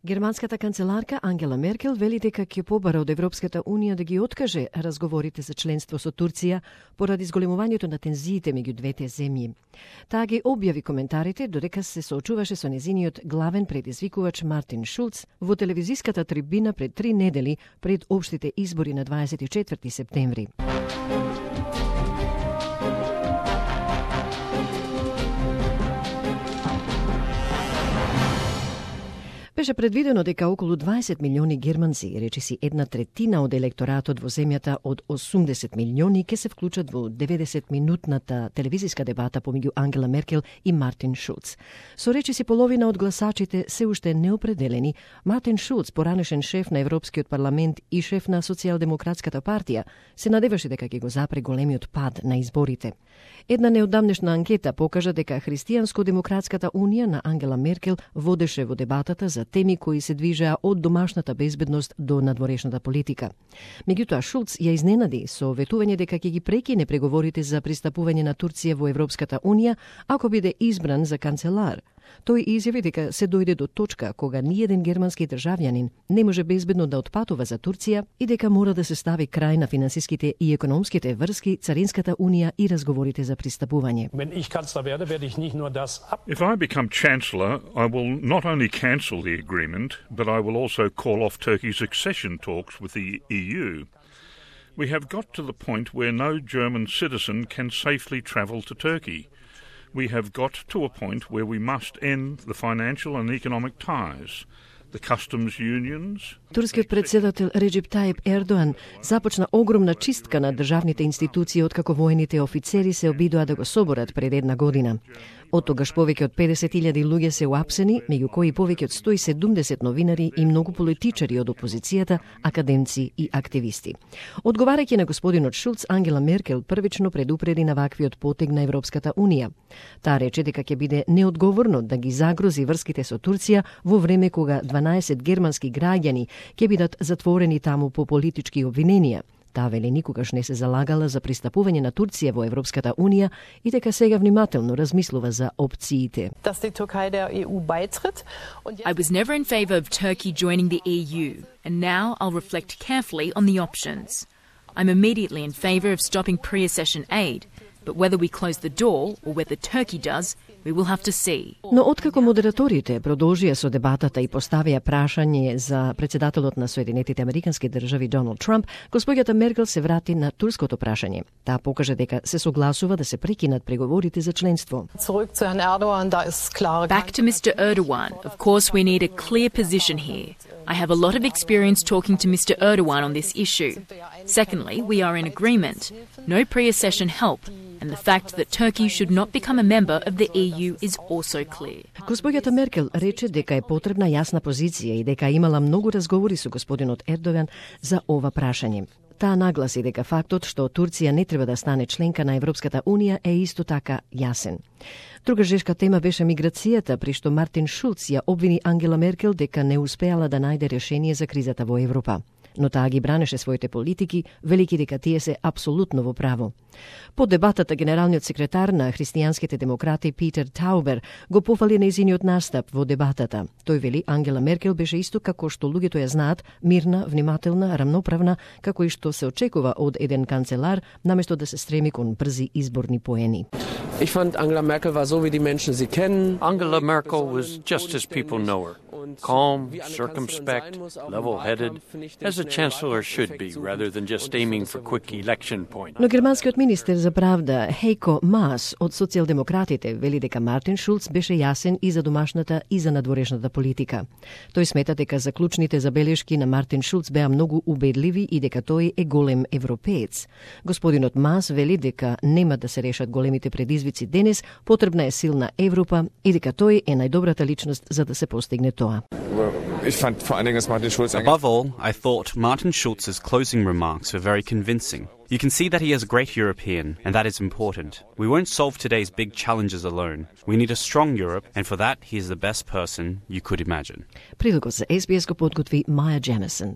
Германската канцеларка Ангела Меркел вели дека ќе побара од Европската Унија да ги откаже разговорите за членство со Турција поради зголемувањето на тензиите меѓу двете земји. Таа ги објави коментарите додека се соочуваше со незиниот главен предизвикувач Мартин Шулц во телевизиската трибина пред 3 недели пред општите избори на 24 септември. Беше предвидено дека околу 20 милиони германци, речиси 1/3 од електоратот во земјата од 80 милиони, ќе се вклучат во 90-минутната телевизиска дебата помеѓу Ангела Меркел и Мартин Шулц. Со речиси половина од гласачите се уште неопределени, Мартин Шулц, поранешен шеф на Европскиот парламент и шеф на Социјалдемократската партија, се надеваше дека ќе го запре големиот пад на изборите. Една неодамнешна анкета покажа дека Христијанско-демократската унија на Ангела Меркел водеше во дебатата за теми кои се движеа од домашната безбедност до надворешната политика. Меѓутоа, Шулц ја изненади со ветување дека ќе ги прекине преговорите за пристапување на Турција во Европската Унија ако биде избран за канцелар. Тој изјави дека се дојде до точка кога ниеден германски државјанин не може безбедно да отпатува за Турција и дека мора да се стави крај на финансиските и економските врски, царинската унија и разговорите за пристапување. If I become chancellor, I will not only cancel the agreement, but I will also call off Turkey's accession talks with the EU. We have got to the point where no German citizen can safely travel to Turkey. We have got to a point where we must end the financial and economic ties, the customs unions. Турскиот председател Реджеп Тајип Ердоан започна огромна чистка на државните институции откако воените офицери се обидоа да го соборат пред 1 година. Од тогаш повеќе од 50.000 луѓе се уапсени, меѓу кои повеќе од 170 новинари и многу политичари од опозицијата, академци и активисти. Одговарајќи на господинот Шулц, Ангела Меркел првично предупреди на ваквиот потег на Европската Унија. Таа рече дека ќе биде неодговорно да ги загрози врските со Турција во време кога 12 германски граѓани ќе бидат затворени таму по политички обвиненија. Таа вели никогаш не се залагала за пристапување на Турција во Европската Унија и дека сега внимателно размислува за опциите. I was never in favor of Turkey joining the EU, and now I'll reflect carefully on the options. I'm immediately in favor of stopping pre-accession aid, but whether we close the door or whether Turkey does, we will have to see. Но откако модераторите продолжија со дебатата и поставија прашање за председателот на Соединетите Американски држави Доналд Трамп, госпоѓата Меркел се врати на турското прашање. Таа покажа дека се согласува да се прекинат преговорите за членство. Back to Mr. Erdogan. Of course, we need a clear position here. I have a lot of experience talking to Mr. Erdogan on this issue. Secondly, we are in agreement. No pre-accession help. And the fact that Turkey should not become a member of the EU is also clear. Госпоѓата Меркел рече дека е потребна јасна позиција и дека имала многу разговори со господинот Ердоган за ова прашање. Таа нагласи дека фактот што Турција не треба да стане членка на Европската Унија е исто така јасен. Друга жешка тема беше миграцијата, при што Мартин Шулц ја обвини Ангела Меркел дека не успеала да најде решение за кризата во Европа. Но таа ги бранеше своите политики, велики дека тие се апсолутно во право. По дебатата, генералниот секретар на христијанските демократи Питер Таубер го пофали нејзиниот настап во дебатата. Тој вели Ангела Меркел беше исто како што луѓето ја знаат, мирна, внимателна, рамноправна, како и што се очекува од еден канцелар, наместо да се стреми кон брзи изборни поени. Ich fand Angela Merkel war so wie die Menschen sie kennen. Angela Merkel was just as people know her. Calm, circumspect, level-headed, as a chancellor should be, rather than just aiming for quick election points. Но германскиот министер за правда Хейко Маас од социјалдемократите вели дека Мартин Шулц беше јасен и за домашната и за надворешната политика. Тој смета дека заклучните забелешки на Мартин Шулц беа многу убедливи и дека тој е голем европеец. Господинот Маас вели дека нема да се решат големите предизвици денес, потребна е силна Европа и дека тој е најдобрата личност за да се постигне тоа. Above all, I thought Martin Schulz's closing remarks were very convincing. You can see that he is a great European, and that is important. We won't solve today's big challenges alone. We need a strong Europe, and for that, he is the best person you could imagine. Прилогот за SBS го подготви Маја Джемесон.